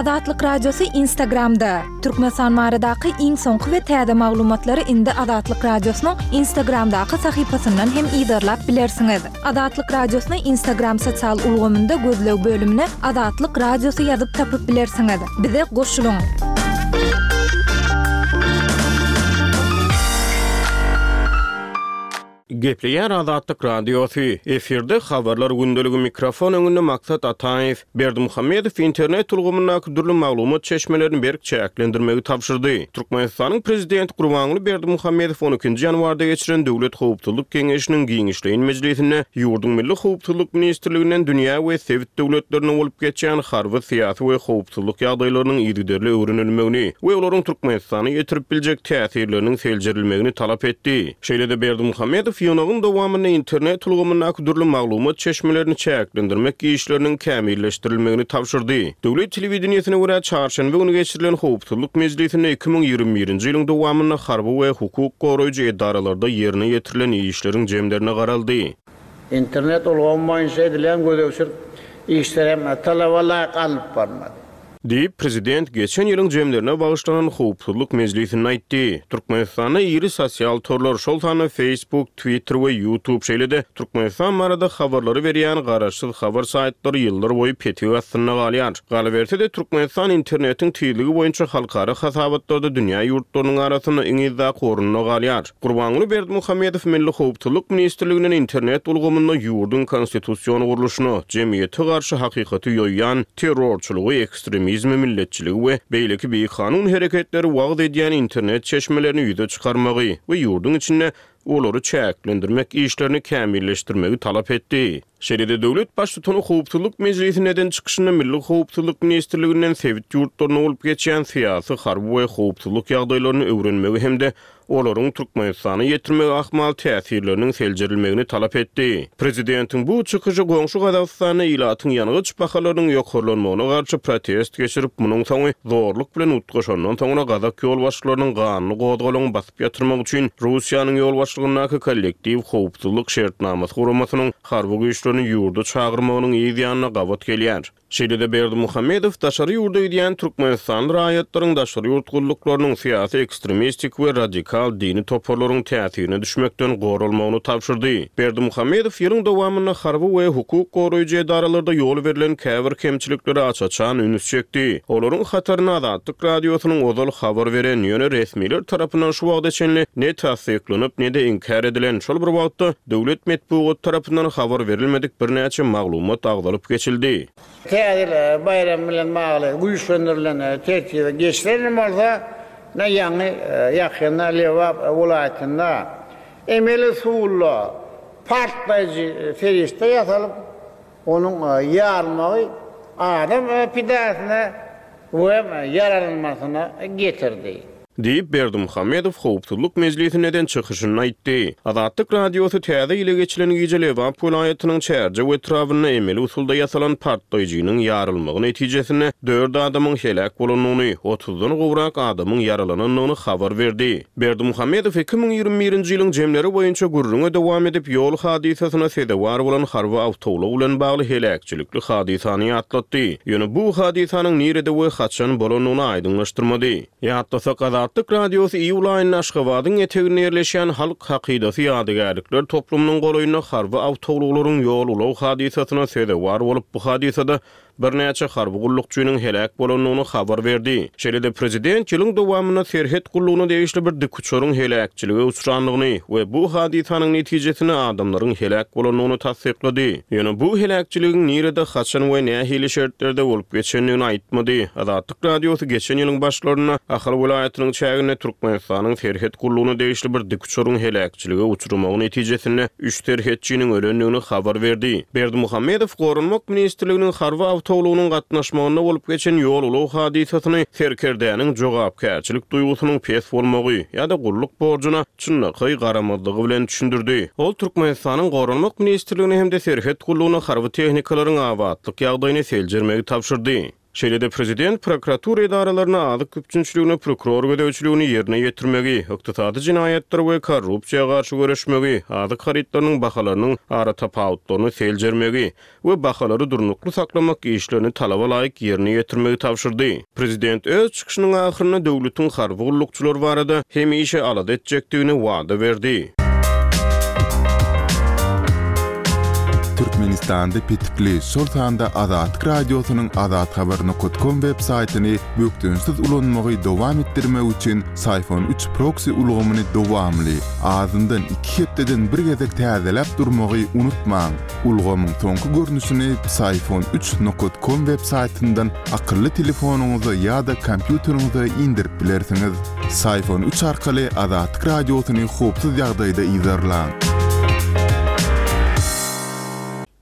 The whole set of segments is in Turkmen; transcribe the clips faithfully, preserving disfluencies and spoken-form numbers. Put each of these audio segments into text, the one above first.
Azatlyk Radiosy Instagramda. Türkmenistan baradaky iň soňky we täze maglumatlary indi Azatlyk Radiosynyň Instagramdaky sahypasyndan hem yzarlap bilersiňiz. Azatlyk Radiosyny Instagram sosial ulgamynda gözleg bölümine Azatlyk Radiosy ýazyp tapyp bilersiňiz. Bize goşulyň. Gepleýär Azatlyk Radiosy. Efirde habarlar gündeligi, mikrofon öňünde Maksat Ataýew. Berdimuhamedow internet ulgamyndaky dürli maglumat çeşmelerini berk çäklendirmegi tabşyrdy. Türkmenistanyň prezidenti Gurbanguly Berdimuhamedow on ikinji ýanwarda geçiren Döwlet howpsuzlyk geňeşiniň giňişleýin mejlisinde ýurduň Milli howpsuzlyk ministrliginden dünýä we sebit döwletlerinde bolup geçýän harby, syýasy we howpsuzlyk ýagdaýlarynyň yzygiderli öwrenilmegini we olaryň Türkmenistana ýetirip biljek täsirleriniň seljerilmegini talap etdi. Şeýle-de Berdimuhamedow ýygnagyň dowamynda internet ulgamyndaky dürli maglumat çeşmelerini çäklendirmek işleriniň kämilleşdirilmegini tabşyrdy. Döwlet telewideniýesine görä, çarşenbe güni geçirilen howpsuzlyk mejlisinde iki müň ýigrimi birinji ýylyň dowamynda harby we hukuk goraýjy edaralarda ýerine ýetirilen işleriň jemlerine garaldy. Internet ulgamy boýunça edilen gözegçilik işleri hem talaba laýyk alnyp barylmady. Diýip, prezident geçen ýylyň jemlerine bagyşlanan howpsuzlyk mejlisinde aýtdy. Türkmenistanda iri sosial torlar, şol sanda Facebook, Twitter we YouTube, şeýle-de Türkmenistan barada habarlary berýän garaşsyz habar saýtlary ýyllar boýy petik astynda galýar. Galyberse-de, Türkmenistan internetiň tizligi boýunça halkara hasabatlarda dünýä ýurtlarynyň arasynda iň yzdaky orunda galýar. Gurbanguly Berdimuhamedow Milli howpsuzlyk ministrliginden internet ulgamynda ýurduň konstitusion gurluşyna, jemgyýete garşy hakykaty ýoýýan terrorçylygy, ekstremizmi, milletçiligi we beýleki bikanun hereketleri wagyz edýän internet çeşmelerini ýüze çykarmagy we ýurduň içinde olary çäklendirmek işlerini kämilleşdirmegi talap etdi. Şeýle-de döwlet baştutany howpsuzlyk mejlisinde eden çykyşynda Milli howpsuzlyk ministrliginden sebit ýurtlarynda bolup geçýän syýasy, harby we howpsuzlyk ýagdaýlaryny öwrenmegi hem-de olaryň Türkmenistana ýetirmegi ahmal täsirleriniň seljerilmegini talap etdi. Prezidentiň bu çykyşy goňşy Gazagystanda ilatyň ýangyç bahalarynyň ýokarlanmagyna garşy protest geçirip, munuň soňy zorluk bilen utgaşandan soňra gazak ýolbaşçylarynyň ganly gozgalaňy basyp ýatyrmak üçin Russiýanyň ýolbaşçylygyndaky kollektiw howpsuzlyk şertnamasy guramasynyň harby güýçlerini ýurda çagyrmagynyň yz ýanyna gabat gelýär. Şeýle-de Berdimuhamedow daşary ýurda gidýän türkmenistanly raýatlaryň daşary ýurt gulluklarynyň syýasy ekstremistik we radikal dini toparlaryň täsirine düşmekden goralmagyny tabşyrdy. Berdimuhamedow ýylyň dowamynda harby we hukuk goraýjy edaralarda ýol berlen käbir kemçiliklere aç-açan üns çekdi. Olaryň hataryna Azatlyk Radiosynyň ozal habar beren, ýöne resmiler tarapyndan şu wagta çenli ne tassyklanyp, ne-de inkär edilen, şol bir wagtda döwlet metbugat tarapyndan habar berilmedik birnäçe maglumat agzalyp geçildi. Täze baýram bilen bagly güýçlendirilen tertibe geçilen bolsa, ne ýaňy ýakynda Lebap welaýatynda emeli usulla partlaýjy serişde ýasalyp, onuň ýarylmagy adam pidasyna we ýaralanmasyna getirdi. Diýip, Berdimuhamedow howpsuzlyk mejlisinde eden çykyşynda aýtdy. Azatlyk Radiosy täze ýyla geçilen gije Lebap welaýatynyň Çärjew etrabynda emeli usulda ýasalan partlaýjynyň ýarylmagy netijesinde dört adamyň heläk bolandygyny, otuzdan gowrak adamyň ýaralanandygyny habar berdi. Berdimuhamedow iki müň ýigrimi birinji ýylyň jemleri boýunça gürrüňe dowam edip, ýol hadysasyna sezewar bolan harby awtoulag bilen bagly heläkçilikli hadysany ýatlatdy. Ýöne bu hadysanyň nirede we haçan bolandygyny aýdyňlaşdyrmady. Ýatlasak, Azatlyk Radiosy iýul aýynda Aşgabadyň eteginde ýerleşýän Halk hakydasy ýadygärlikler toplumynyň golaýynda harby awtoulaglaryň ýol-ulag hadysasyna sezewar bolup, bu hadysada birnäçe harby gullukçynyň heläk bolandygyny habar berdi. Şeýle-de prezident ýylyň dowamynda serhet gullugyna degişli bir dikuçaryň heläkçilige uçrandygyny we bu hadysanyň netijesinde adamlaryň heläk bolandygyny tassyklady. Ýöne bu heläkçiligiň nirede, haçan we nähili şertlerde bolup geçendigini aýtmady. Azatlyk Radiosy geçen ýylyň başlarynda Ahal welaýatynyň çäginde Türkmenistanyň serhet gullugyna degişli bir dikuçaryň heläkçilige uçramagy netijesinde üç serhetçiniň ölendigini habar berdi. Berdimuhamedow Goranmak ministrliginiň harby awtoulagynyň gatnaşmagynda bolup geçen ýol-ulag hadysasyny serkerdäniň jogapkärçilik duýgusynyň pes bolmagy ýa-da gulluk borjuna çynlakaý garamazlygy bilen düşündirdi. Ol Türkmenistanyň Goranmak ministrligine hem-de serhet gullugyna harby tehnikalaryň abatlyk ýagdaýyny seljermegi tabşyrdy. Şeýle-de prezident prokuratura edaralaryna azyk üpjünçiligine prokuror gözegçiligini ýerine ýetirmegi, ykdysady jenaýatlara we korrupsiýa garşy göreşmegi, azyk harytlarynyň bahalarynyň aratapawutlaryny seljermegi we bahalary durnukly saklamak işlerini talaba laýyk ýerine ýetirmegi tabşyrdy. Prezident öz çykyşynyň ahyrynda döwletiň harby gullukçylary barada hemişe alada etjekdigini wada berdi. Türkmenistanda petikli, şol sanda Azatlyk Radiosynyň azathabar nokat kom web saýtyny bökdençsiz ulanmagy dowam etdirmek üçin Syfon üç proksi ulgamyny dowamly, azyndan iki hepdeden bir gezek täzeläp durmagy unutmaň. Ulgamyň soňky görnüşini Syfon üç nokat kom web saýtyndan akylly telefonyňyza ýa-da kompýuteriňize indirip bilersiňiz. Syfon üç arkaly Azatlyk Radiosyny howpsuz ýagdaýda yzarlaň.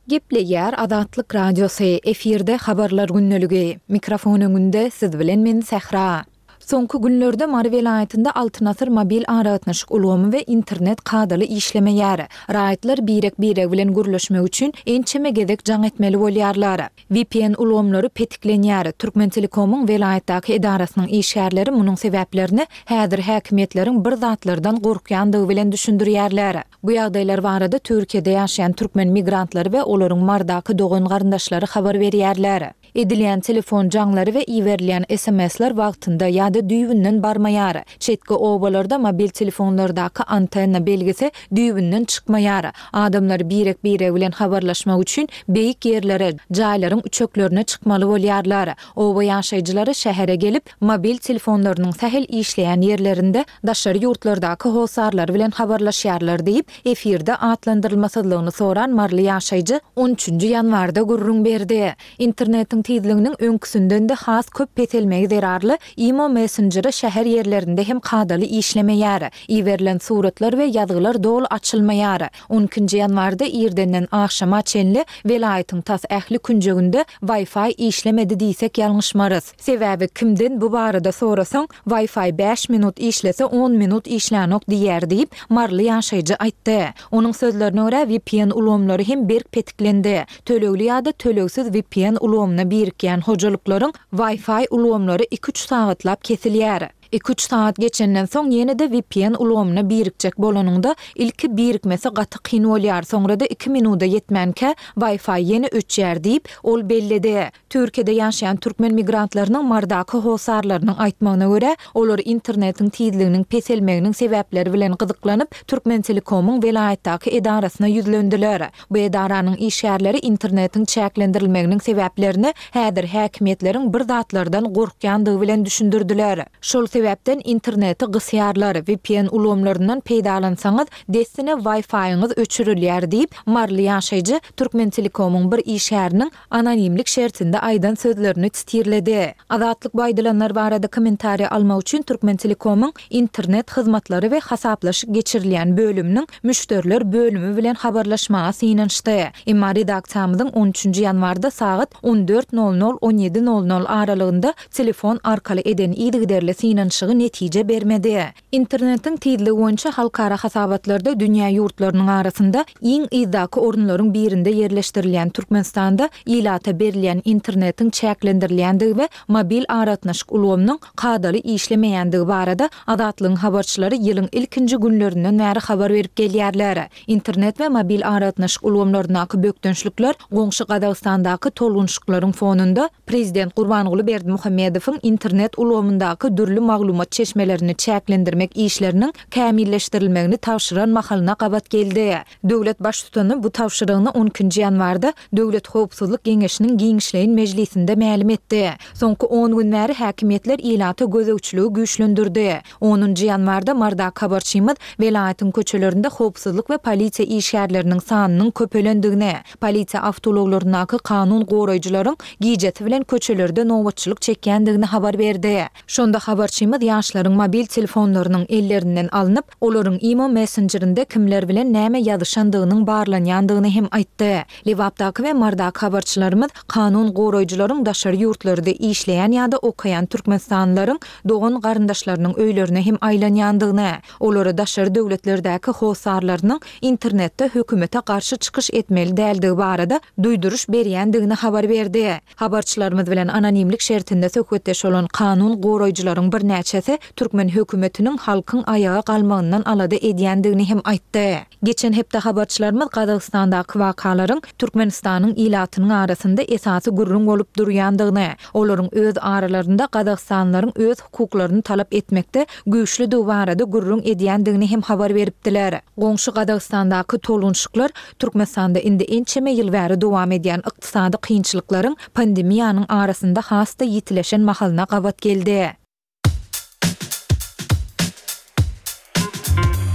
Gepleýär Azatlyk Radiosy, efirde habarlar gündeligi. Mikrofon öňünde siz bilen men Sähra. Soňky günlerde Mary welaýatynda Altyn asyr mobil aragatnaşyk ulgamy we internet kadaly işlemeýär. Raýatlar birek-biregi bilen gürleşmek üçin ençeme gezek jaň etmeli bolýarlar. V P N ulgamlary petiklenýär. Türkmen Telekomyň welaýatdaky edarasynyň işgärleri munuň sebäplerini häzir häkimiýetleriň bir zatlardan gorkýandygy bilen düşündirýärler. Bu ýagdaýlar barada Türkiýede ýaşaýan türkmen migrantlary we olaryň Mardaky dogan garyndaşlary habar berýärler. Edilýän telefon jaňlary we iberilýän S M S-ler wagtynda ýa-da düýbünden barmaýar. Çetki obalarda mobil telefonlardaky antenna belgisi düýbünden çykmaýar. Adamlar birek-biregi bilen habarlaşmak üçin beýik ýerlere, jaýlaryň üçeklerine çykmaly bolýarlar. Oba ýaşaýjylary şähere gelip, mobil telefonlarynyň sähel işleýän ýerlerinde daşary ýurtlardaky hosarlary bilen habarlaşýarlar diýip, efirde atlandyrylmasyzlygyny soran Marly ýaşaýjy on üçünji ýanwarda gürrüň berdi. Internetiň tizliginiň öňküsinden de has köp peselmegi zerarly Imo Messenger'i şäher ýerlerinde hem kadaly işlemeýär. Iberilen suratlar we ýazgylar doly açylmaýar. on ikinji ýanwarda irdenden agşama çenli welaýatyň tas ähli künjeginde Wi-Fi işlemedi diýsek ýalňyşmarys. Sebäbi kimden bu barada sorasaň, Wi-Fi bäş minut işlese on minut işlänok diýer diýip, Marly ýaşaýjy aýtdy. Onuň sözlerine görä V P N ulgamlary hem berk petiklendi. Tölegli ýa-da tölegsiz V P N ulgamyna birikýän hojalyklaryň Wi-Fi ulgamlary iki-üç sagatlap kesilýär. Iki-üç sagat geçenden soň ýene-de V P N ulgamyna birikjek bolanyňda ilki birikmesi gaty kyn bolýar, soňra da iki minuda ýetmänkä Wi-Fi ýene öçýär diýip, ol belledi. Türkiýede ýaşaýan türkmen migrantlarynyň Mardaky hosarlarynyň aýtmagyna görä, olar internetiň tizliginiň peselmeginiň sebäpleri bilen gyzyklanyp, Türkmen Telekomyň welaýatdaky edarasyna ýüzlendiler. Bu edaranyň işgärleri internetiň çäklendirilmeginiň sebäplerini häzir häkimiýetleriň bir zatlardan gorkýandygy bilen düşündirdiler. Şol sebäpden interneti gysýarlar, V P N ulgamlaryndan peýdalansaňyz, dessine Wi-Fi-ňiz öçürilýär diýip, Marly ýaşaýjy Türkmen Telekomyň bir işgäriniň anonimlik şertinde aýdan sözlerini titirledi. Azatlyk bu aýdylanlar barada kommentariýa almak üçin Türkmen Telekomyň internet hyzmatlary we hasaplaşyk geçirilýän bölüminiň müşderiler bölümi bilen habarlaşmaga synanyşdy. Emma redaksiýamyzyň on üçünji ýanwarda sagat on dört nol nol on ýedi nol nol aralygynda telefon arkaly eden yzygiderli synanyşygy netije bermedi. Internetiň tizligi boýunça halkara hasabatlarda dünýä ýurtlarynyň arasynda iň yzdaky orunlaryň birinde ýerleşdirilýän Türkmenistanda ilata berilýän internetiň çäklendirilýändigi we mobil aragatnaşyk ulgamynyň kadaly işlemeýändigi barada Azatlygyň habarçylary ýylyň ilkinji günlerinden bäri habar berip gelýärler. Internet we mobil aragatnaşyk ulgamlaryndaky bökdençlikler goňşy Gazagystandaky tolgunşyklaryň fonunda Prezident Gurbanguly Berdimuhamedowyň internet ulgamyndaky dürli maglumat çeşmelerini çäklendirmek işleriniň kämilleşdirilmegini tabşyran mahalyna gabat geldi. Döwlet baştutany bu tabşyrygyny on ikinji ýanwarda Döwlet Howpsuzlyk Geňeşiniň giňişleýin mejlisinde mälim etdi. Soňky on gün bäri häkimiýetler ilata gözegçiligi güýçlendirdi. Onunjy ýanwarda Mardak habarçymyz welaýatyň köçelerinde howpsuzlyk we polisiýa işgärleriniň sanynyň köpelendigini, polisiýa awtoulaglaryndaky kanun goraýjylaryň gijesi bilen köçelerde nobatçylyk çekýändigini habar berdi. Şonda habarçymyz Habarçymyz ýaşlaryň mobil telefonlarynyň ellerinden alnyp, olaryň imo messenjerinde kimler bilen näme ýazyşandygynyň barlanýandygyny hem aýtdy. Lebapdaky we Marydaky habarçylarymyz kanun goraýjylaryň daşary ýurtlarda işleýän ýa-da okaýan türkmenistanlylaryň dogan-garyndaşlarynyň öýlerine hem aýlanýandygyny, olara daşary döwletlerdäki hossarlarynyň internetde hökümete garşy çykyş etmeli däldigi barada duýduryş berýändigini habar berdi. Habarçylarymyz bilen anonimlik şertinde söhbetdeş bolan kanun goraýjylaryň birnäçesi türkmen hökümetiniň halkyň aýaga galmagyndan alada edýändigini hem aýtdy. Geçen hepde habarçylarymyz Gazagystandaky wakalaryň Türkmenistanyň ilatynyň arasynda esasy gürrüň bolup durýandygyny, olaryň öz aralarynda gazagystanlylaryň öz hukuklaryny talap etmekde güýçlüdigi barada gürrüň edýändigini hem habar beripdiler. Goňşy Gazagystandaky tolgunşyklar Türkmenistanda indi ençeme ýyl bäri dowam edýän ykdysady kynçylyklaryň pandemiýanyň arasynda has-da ýitileşen mahalyna gabat geldi.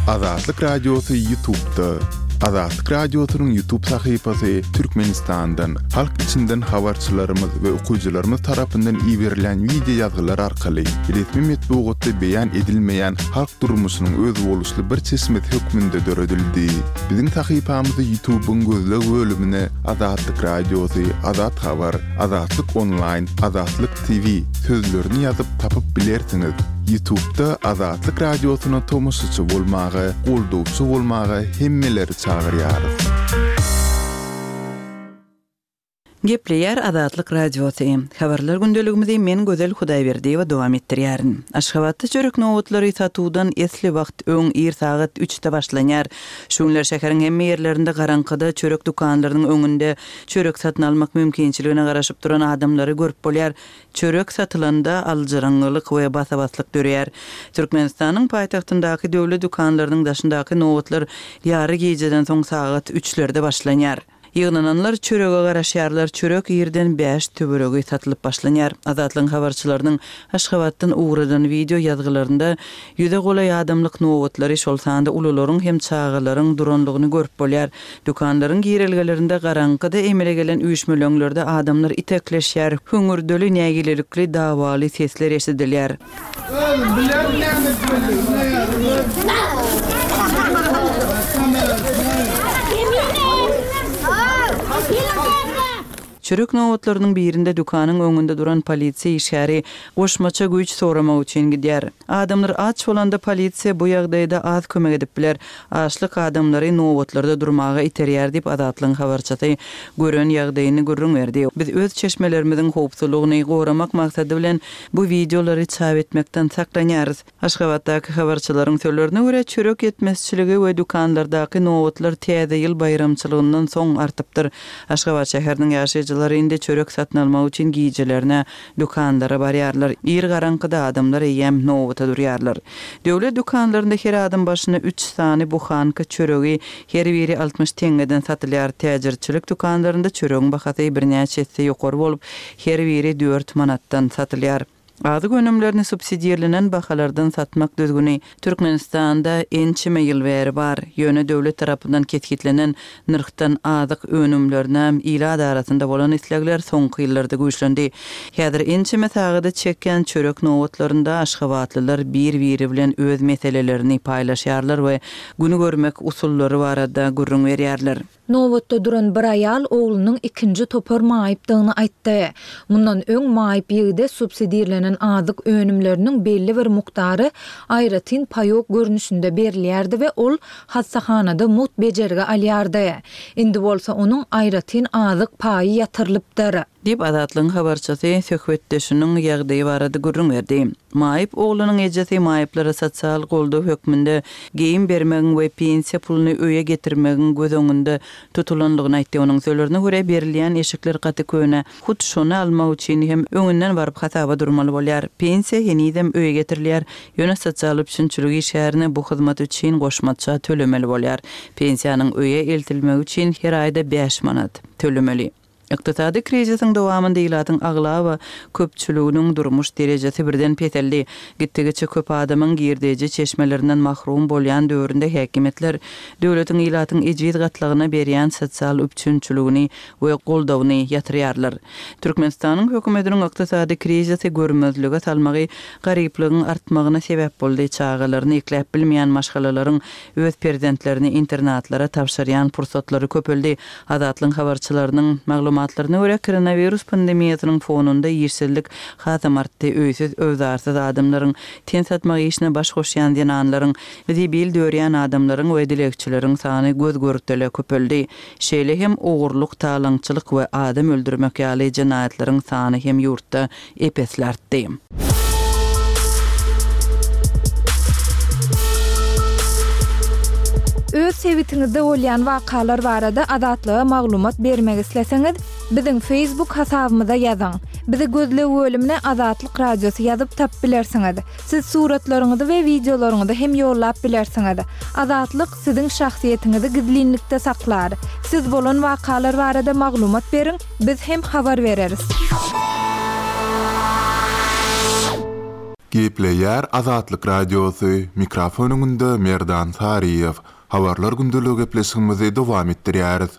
Azatlyk Radiosy YouTube'da. Azatlyk Radiosynyň YouTube sahypasy Türkmenistandan, halk içinden habarçylarymyz we okyjylarymyz tarapyndan iberilen wideo ýazgylar arkaly resmi metbugatda beýan edilmeýän halk durmuşynyň özboluşly bir çeşmesi hökmünde döredildi. Biziň sahypamyzy YouTube'yň gözleg bölümine Azatlyk Radiosy, Azat Habar, Azatlyk Online, Azatlyk T V sözlerini ýazyp tapyp bilersiňiz. YouTube'da Azatlyk Radiosyna tomaşaçy bolmaga, goldawçy bolmaga hemmeleri çagyrýarys. Gepleýär Azatlyk Radiosy. Habarlar gündeligimizi men Gözel Hudaýberdiýewa dowam etdirýärin. Aşgabatda çörek nobatlary satuwdan esli wagt öň ir sagat üçde başlanýar. Şu günler şäheriň hemme ýerlerinde garaňkyda çörek dükanlarynyň öňünde çörek satyn almak mümkinçiligine garaşyp duran adamlary görüp bolýar. Çörek satylanda aljyraňňylyk we basabaslyk dörýär. Türkmenistanyň paýtagtyndaky döwlet dükanlarynyň daşyndaky nobatlar ýary gijeden soň sagat üçlerde başlanýar. Ýygnananlar çörege garaşýarlar, çörek ýerden bäş töweregi satylyp başlanýar. Azatlygyň habarçylarynyň Aşgabatdan ugradan wideo ýazgylarynda ýüze golaý adamlyk nobatlary, şol sanda ulularyň hem çagalaryň duranlygyny görüp bolýar. Dükanlaryň girelgelerinde garaňkyda emele gelen üýşmeleňlerde adamlar itekleşýär, hüňürdeli, nägilelikli, dawaly sesler eşidilýär. Çörek nobatlarynyň birinde dükanyň öňünde duran polisiýa işgäri goşmaça güýç soramak üçin gidýär. Adamlar aç bolanda polisiýa bu ýagdaýda az kömek edip biler. Açlyk adamlary nobatlarda durmaga iterýär diýip Azatlygyň habarçysy gören ýagdaýyny gürrüň berdi. Biz öz çeşmelerimiziň howpsuzlygyny goramak maksady bilen bu wideolary çap etmekden saklanýarys. Aşgabatdaky habarçylaryň sözlerine görä çörek ýetmezçiligi we dükanlardaky nobatlar täze ýyl baýramçylygyndan soň artypdyr. Aşgabat şäheriniň ýaşaýjylary indi çörek satyn almak üçin gijelerine dükanlara barýarlar. Ir garaňkyda adamlar eýýäm nobata durýarlar. Döwlet dükanlarynda her adam başyna üç sany buhanka çöregi her biri altmyş teňňeden satylýar. Täjirçilik dükanlarynda çöregiň bahasy birnäçe esse ýokary bolup, her biri dört manatdan satylýar. Azyk önümlerini subsidirlenen bahalardan satmak düzgüni Türkmenistanda ençeme ýyl bäri bar. Ýöne döwlet tarapyndan kesgitlenen nyrhdan azyk önümlerine ilat arasynda bolan islegler soňky ýyllarda güýçlendi. Häzir ençeme sagada çekýän çörek nobatlarynda aşgabatlylar bir-biri bilen öz meselelerini paýlaşýarlar we günü görmek usullary barada gürrüň berýärler. Nobatda duran bir aýal oglunyň ikinji topar maýypdygyny aýtdy. Mundan öň maýyp ýigide subsidirlenen azyk önümleriniň belli bir mukdary aýratyn paýok görnüşinde berilýärdi we ol hassahanada mugt bejergi alýardy. Indi bolsa onuň aýratyn azyk paýy ýatyrylypdyr. Diýip Azatlygyň habarçysy söhbetdeşiniň ýagdaýy barada gürrüň berdi. Maýyp oglunyň ejesi maýyplara sosial goldaw hökmünde geýim bermegiň we pensiýa puluny öýe getirmegiň göz öňünde tutulanlygyny aýtdy. Onuň sözlerine görä berilýän eşikler gaty köne. Hut şony almak üçin hem öňünden baryp hasaba durmaly bolýar. Pensiýa henizem öýe getirilýär. Ýöne sosial üpjünçilik işgärine bu hyzmat üçin goşmaça tölemeli bolýar. Pensiýanyň öýe eltilmegi üçin her aýda bäş manat tölemeli. Ykdysady krizisiň dowamynda ilatyň aglaba köpçüliginiň durmuş derejesi birden peseldi. Gitdigiçe köp adamyň girdeji çeşmelerinden mahrum bolýan döwründe häkimiýetler döwletiň ilatyň ejiz gatlagyna berýän sosial üpjünçiligini we goldawyny ýatyrýarlar. Türkmenistanyň hökümetiniň ykdysady krizisi görmezlige salmagy garyplygyň artmagyna sebäp boldy, çagalaryny ekläp bilmeýän maşgalalaryň öz perzentlerini internatlara tabşyrýan pursatlary köpeldi. Azatlygyň habarçylarynyň maglumatlaryna görä, koronawirus pandemiýasynyň fonunda işsizlik hasam artdy, öýsüz-öwzarsyz adamlaryň, ten satmak işine baş goşýan zenanlaryň, zibil dörýän adamlaryň we dilegçileriň sany göz-görtele köpeldi. Şeýle hem ogurlyk, talaňçylyk we adam öldürmek ýaly jenaýatlaryň sany hem ýurtda ep-esli artdy. Öz sebitiňizde bolýan wakalar barada Azatlyga maglumat bermek isleseňiz, biziň Facebook hasabymyza ýazyň. Bizi gözleg bölümine Azatlyk Radiosy ýazyp tapyp bilersiňiz. Siz suratlaryňyzy we wideolaryňyzy hem ýollap bilersiňiz. Azatlyk siziň şahsyýetiňizi gizlinlikde saklar. Siz bolan wakalar barada maglumat beriň, biz hem habar bereris. Gepleýär Azatlyk Radiosy, mikrofon öňünde Merdan Saryýew. Habarlar gündeligi gepleşigimizi dowam etdirýäris.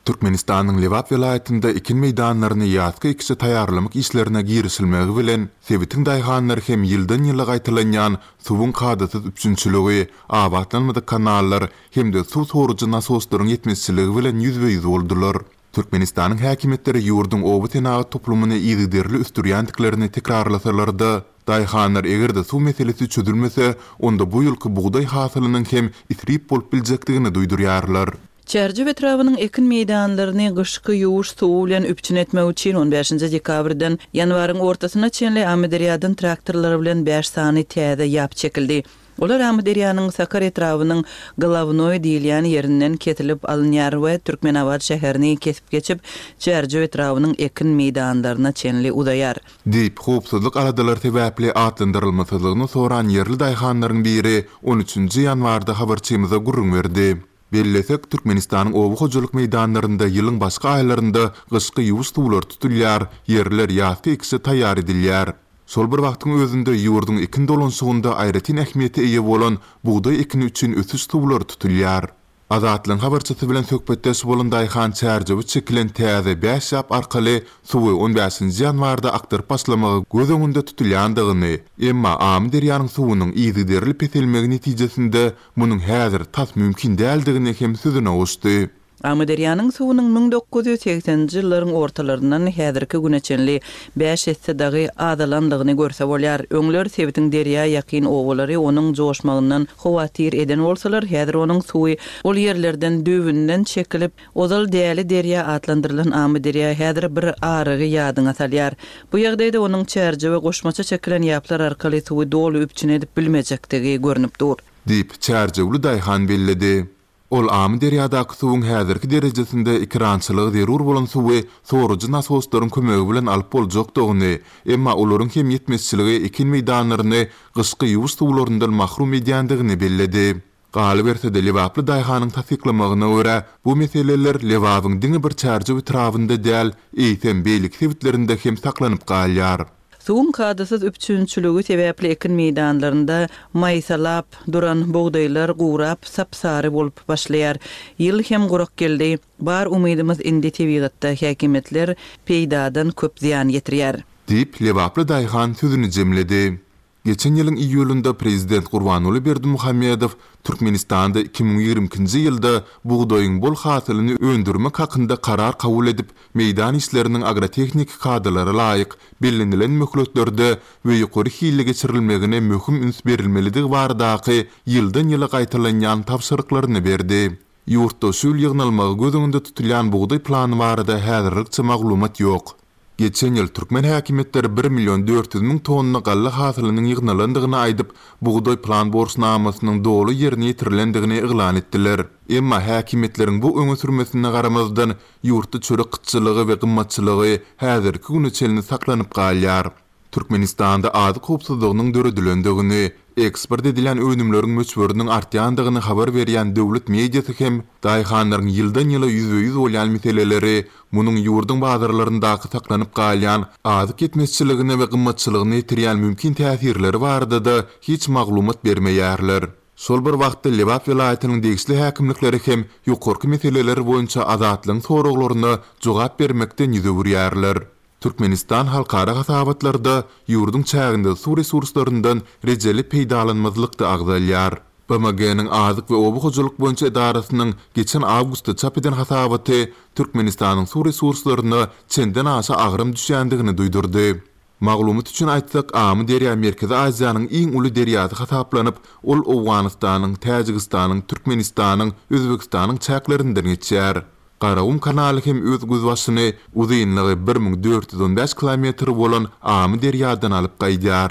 Türkmenistanyň Lebap welaýatynda ekin meýdanlaryny ýazky ekişe taýýarlamak işlerine girişilmegi bilen, sebitiň daýhanlary hem ýyldan-ýyla gaýtalanýan suwuň kadasyz üpjünçiligi, abatlanmadyk kanallar hem-de suw sorujy nasoslaryň ýetmezçiligi bilen ýüzbe-ýüz boldular. Türkmenistanyň häkimiýetleri ýurduň oba senagat toplumyny yzygiderli ösdürýändiklerini tekrarlasalar-da, daýhanlar eger-de suw meselesi çözülmese, onda bu ýylky bugdaý hasylynyň hem isrip bolup biljekdigini duýdurýarlar. Çärjew etrabynyň ekin meýdanlaryny gyşky ýuwuş suwy bilen üpjün etmek üçin on bäşinji dekabrdan ýanwaryň ortasyna çenli Amyderýadan traktorlar bilen bäş sany täze ýap çekildi. Olar Amyderýanyň Sakar etrabynyň Glawnoý diýilýän ýerinden kesilip alynýar we Türkmenabat şäherini kesip geçip, Çärjew etrabynyň ekin meýdanlaryna çenli uzaýar. Diýip, howpsuzlyk aladalary sebäpli atlandyrylmasyzlygyny soran ýerli daýhanlaryň biri on üçünji ýanwarda habarçymyza gürrüň berdi. Bellesek, Türkmenistanyň oba hojalyk meýdanlarynda ýylyň başga aýlarynda gyşky ýuwuş suwlary tutulýar, ýerler ýazky ekişe taýýar edilýär. Şol bir wagtyň özünde ýurduň ekin dolanyşygynda aýratyn ähmiýete eýe bolan bugdaý ekini üçin ösüş suwlary tutulýar. Azatlygyň habarçysy bilen söhbetdeş bolan daýhan Çärjewe çekilen täze bäş ýap arkaly suwy on bäşinji ýanwarda akdyryp başlamagy göz öňünde tutulýandygyny, emma Amyderýanyň suwunyň yzygiderli peselmegi netijesinde munuň häzir tas mümkin däldigini hem sözüne goşdy. Amyderýanyň suwunyň müň dokuz ýüz segseninji ýyllaryň ortalaryndan häzirki güne çenli bäş esse dagy azalandygyny görse bolýar. Öňler sebitiň derýa ýakyn obalary onuň joşmagyndan howatyr eden bolsalar, häzir onuň suwy ol ýerlerden düwünden çekilip, ozal däli derýa atlandyrylan Amyderýa häzir bir arygy ýadyňa salýar. Bu ýagdaýda onuň Çärjewe goşmaça çekilen ýaplar arkaly suwy doly üpjün edip bilmejekdigi görnüp dur. Diýip, Çärjewli daýhan belledi. Ol Amyderýadaky suwuň häzirki derejesinde ekerançylygy zerur bolan suwy sorujy nasoslaryň kömegi bilen alyp boljakdygyny, emma olaryň hem ýetmezçiligi ekin meýdanlaryny gyşky ýuwuş suwlaryndan mahrum edýändigini belledi. Galyberse-de Lebaply daýhanyň tassyklamagyna görä, bu meseleler Lebabyň diňe bir Çärjew etrabynda däl, eýsem beýleki sebitlerinde hem saklanyp galýar. Suwuň kadasyz üpjünçiligi sebäpli ekin meýdanlarynda maýsalap duran bugdaýlar gurap sapsary bolup başlaýar. Ýyl hem gurak geldi. Bar umydymyz indi tebigatda häkimiýetler peýdadan köp zyýan ýetirýär. Diýip, Lebaply daýhan sözüni jemledi. Geçen ýylyň iýulynda prezident Gurbanguly Berdimuhamedow Türkmenistanda iki müň ýigrimi ikinji ýylda bugdaýyň bol hasylyny öndürmek hakynda karar kabul edip, meýdan işleriniň agrotehniki kadalara laýyk bellenilen möhletlerde we ýokary hilli geçirilmegine möhüm üns berilmelidigi baradaky ýyldan-ýyla gaýtalanýan tabşyryklaryny berdi. Ýurtda şu ýyl ýygnalmagy göz öňünde tutulýan bugdaý plany barada häzirlikçe maglumat ýok. Geçen ýyl türkmen häkimiýetleri bir million dört ýüz müň tonna galla hasylynyň ýygnalandygyny aýdyp, bugdaý plan borçnamasynyň doly ýerine ýetirilendigini yglan etdiler. Emma häkimiýetleriň bu öňe sürmesine garamazdan ýurtda çörek gytçylygy we gymmatçylygy häzirki güne çenli saklanyp galýar. Türkmenistanda azyk howpsuzlygynyň döredilendigini, Eksport edilýän önümleriň möçberiniň artýandygyny habar berýän döwlet mediasy hem daýhanlaryň ýyldan-ýyla ýüzbe-ýüz bolýan meseleleri, munuň ýurduň bazarlaryndaky saklanyp galýan azyk ýetmezçiligine we gymmatçylygyna ýetirýän mümkin täsirleri barada-da hiç maglumat bermeýärler. Şol bir wagtda Lebap welaýatynyň degişli häkimlikleri hem ýokarky meseleler boýunça Azatlygyň soraglaryna jogap bermekden ýüz öwürýärler. Türkmenistan halkara hasabatlarda ýurduň çäginde suw resurslaryndan rejeli peýdalanmazlykda agzalýar. B M G-niň Azyk we oba hojalyk boýunça edarasynyň geçen awgustda çap eden hasabaty Türkmenistanyň suw resurslaryna çenden aşa agram düşýändigini duýdurdy. Maglumat üçin aýtsak, Amyderýa Merkezi Aziýanyň iň uly derýasy hasaplanyp, ol Owganystanyň, Täjigistanyň, Türkmenistanyň, Özbegistanyň çäklerinden geçýär. Garagum kanaly hem öz gözbaşyny uzynlygy bir müň dört ýüz on bäş kilometr bolan Amyderýadan alyp gaýdýar.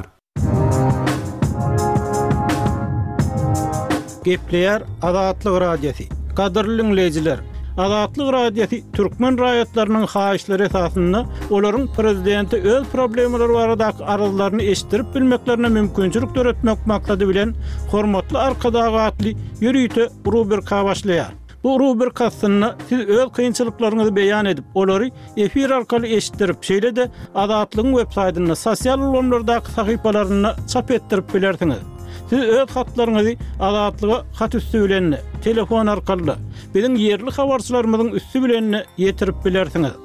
Gepleýär Azatlyk Radiosy. Gadyrly dinleýjiler, Azatlyk Radiosy türkmen raýatlarynyň haýyşlary esasynda olaryň prezidenti öz problemalary baradaky arzlaryny eşitdirip bilmeklerine mümkinçilik döretmek maksady bilen Hormatly Arkadag atly ýörite rubrika başlaýar. Bu rubrika aslynda siz öz kynçylyklaryňyzy beýan edip, olary efir arkaly eşitdirip, şeýle-de Azatlygyň web saýtynda, sosial ulgamlardaky sahypalarynda çap etdirip bilersiňiz. Siz öz hatlaryňyzy Azatlyga hat üsti bilen, telefon arkaly, biziň ýerli habarçylarymyzyň üsti bilen ýetirip bilersiňiz.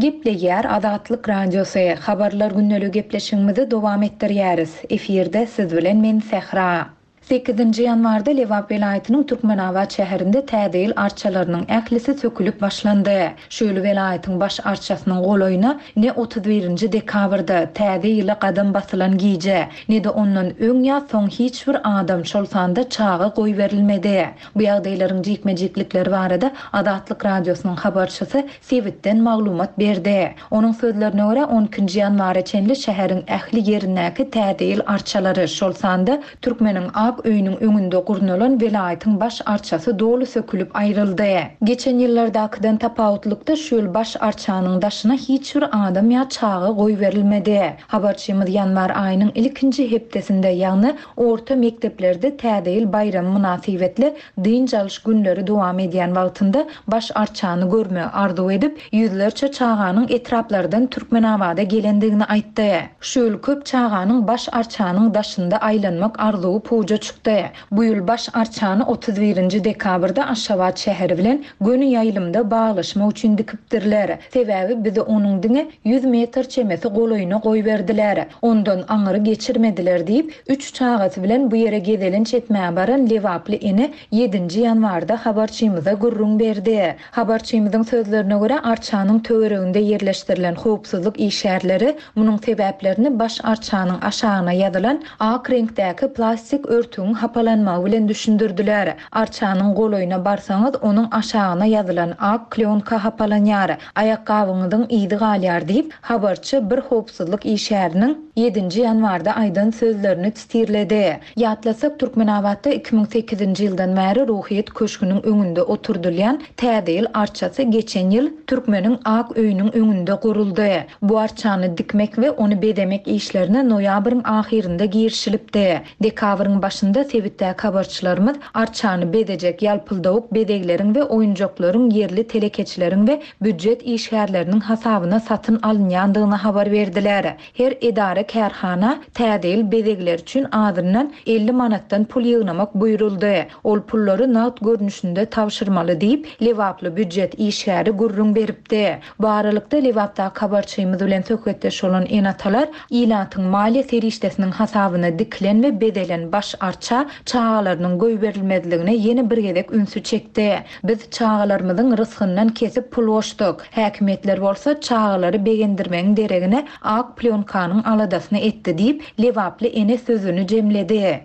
Gepleýär Azatlyk Radiosy. Habarlar gündelik gepleşigimizi dowam etdirýäris. Efirde siz bilen men Sähra. Sekizinji ýanwarda Lebap welaýatynyň Türkmenabat şäherinde täze ýyl arçalarynyň ählisi sökülip başlandy. Şu ýyl welaýatyň baş arçasynyň golaýyna ne otuz birinji dekabrda täze ýyla gadam basylan gije, ne de ondan öň ýa soň hiç bir adam şol sanda çaga goý berilmedi. Bu ýagdaýlaryň jikme-jiklikleri barada Azatlyk Radiosynyň habarçysy sebitden maglumat berdi. Onuň sözlerine görä on ikinji ýanwara çenli şäheriň ähli ýerindäki täze ýyl arçalary şol sanda Türkmeniň Ak öýüniň öňünde gurnalan welaýatyň baş arçasy doly sökülip aýryldy. Geçen ýyllardakydan tapawutlykda şu ýyl baş arçanyň daşyna hiç bir adam ýa çaga goý berilmedi. Habarçymyz ýanwar aýynyň ilkinji hepdesinde, ýagny orta mekdeplerde täze ýyl baýramy mynasybetli dynç alyş günleri dowam edýän wagtynda baş arçany görme arzuw edip, ýüzlerçe çaganyň etraplardan Türkmenabada gelendigini aýtdy. Şu ýyl köp çaganyň baş arçanyň daşynda aýlanmak arzuwy puja çykdy. Bu ýyl baş arçany otuz birinji dekabrda Aşgabat şäheri bilen göni ýaýlymda baglaşmak üçin dikipdirler. Sebäbi bizi onuň diňe ýüz metr çemesi golaýyna goý berdiler. Ondan aňyry geçirmediler diýip, üç çagasy bilen bu ýere gezelenç etmäge baran Lebaply ene ýedinji ýanwarda habarçymyza gürrüň berdi. Habarçymyzyň sözlerine görä arçanyň töwereginde ýerleşdirilen howpsuzlyk işgärleri munuň sebäplerini baş arçanyň aşagyna ýazylan ak reňkdäki plastik örtügiň hapalanmagy bilen düşündirdiler. Arçanyň golaýyna barsaňyz, onuň aşagyna ýazylan ak klýonka hapalanýar. Aýakgabyňyzyň yzy galýar diýip, habarçy bir howpsuzlyk işgäriniň ýedinji ýanwarda aýdan sözlerini titirledi. Ýatlasak, Türkmenabatda iki müň sekizinji ýyldan bäri Ruhyýet köşgüniň öňünde oturdylýan täze ýyl arçasy geçen ýyl Türkmeniň Ak öýüniň öňünde guruldy. Bu arçany dikmek we ony bezemek işlerine noýabryň ahyrynda girişilipdi. Dekabryň başynda sebitdäki habarçylarymyz arçany bezejek ýalpyldawuk bezegleriň we oýunjaklaryň ýerli telekeçileriň we býujet işgärleriniň hasabyna satyn alynýandygyny habar berdiler. Her edara kärhana täze ýyl bezegleri üçin azyndan elli manatdan pul ýygnamak buýruldy. Ol pullary nagt görnüşinde tabşyrmaly diýip, Lebaply býujet işgäri gürrüň beripdi. Bu aralykda Lebapdaky habarçymyz bilen söhbetdeş bolan ene-atalar ilatyň maliýe serişdesiniň hasabyna dikilen we bezelen baş arça çagalarynyň goýberilmezligine ýene bir gezek ünsi çekdi. Biz çagalarymyzyň rysgyndan kesip pul goşduk. Häkimiýetler bolsa çagalary begendirmegiň deregine ak plyonkanyň aladasyny etdi diýip, Lebaply ene sözüni jemledi.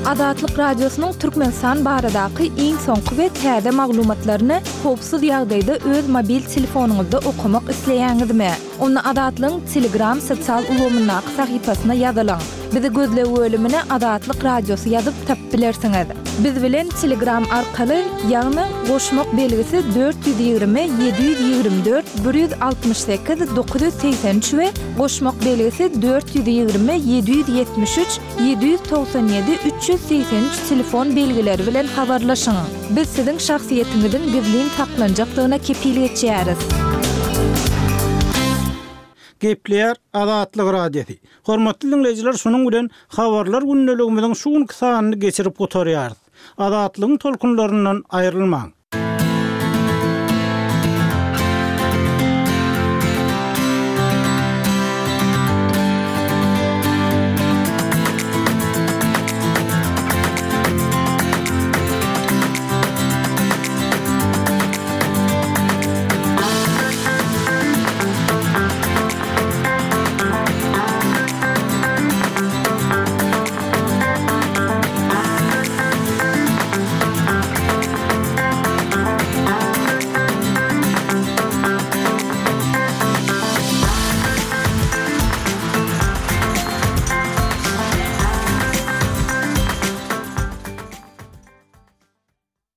Azatlyk Radiosynyň Türkmenistan baradaky iň soňky we täze maglumatlaryny howpsuz ýagdaýda öz mobil telefonyňyzda okamak isleýäňizmi? Onda Azatlygyň Telegram sosial ulgamyndaky sahypasyna ýazylyň. Bizi gözleg bölümine Azatlyk Radiosy ýazyp tapyp bilersiňiz. Biz bilen Telegram arkaly, ýagny goşmak belgisi dört ýüz ýigrimi ýedi ýüz ýigrimi dört bir ýüz altmyş sekiz dokuz ýüz segsen üç we goşmak belgisi dört ýüz ýigrimi ýedi ýüz ýetmiş üç ýedi ýüz togsan ýedi üç ýüz segsen üç telefon belgileri bilen habarlaşyň. Biz siziň şahsyýetiňiziň gizlin saklanjakdygyna kepil geçýäris. Gepleýär Azatlyk Radiosy. Hormatly diňleýjiler, şunuň bilen Habarlar gündeligimiziň şu günki sanyny geçirip gutarýarys. Azatlygyň tolkunlaryndan aýrylmaň.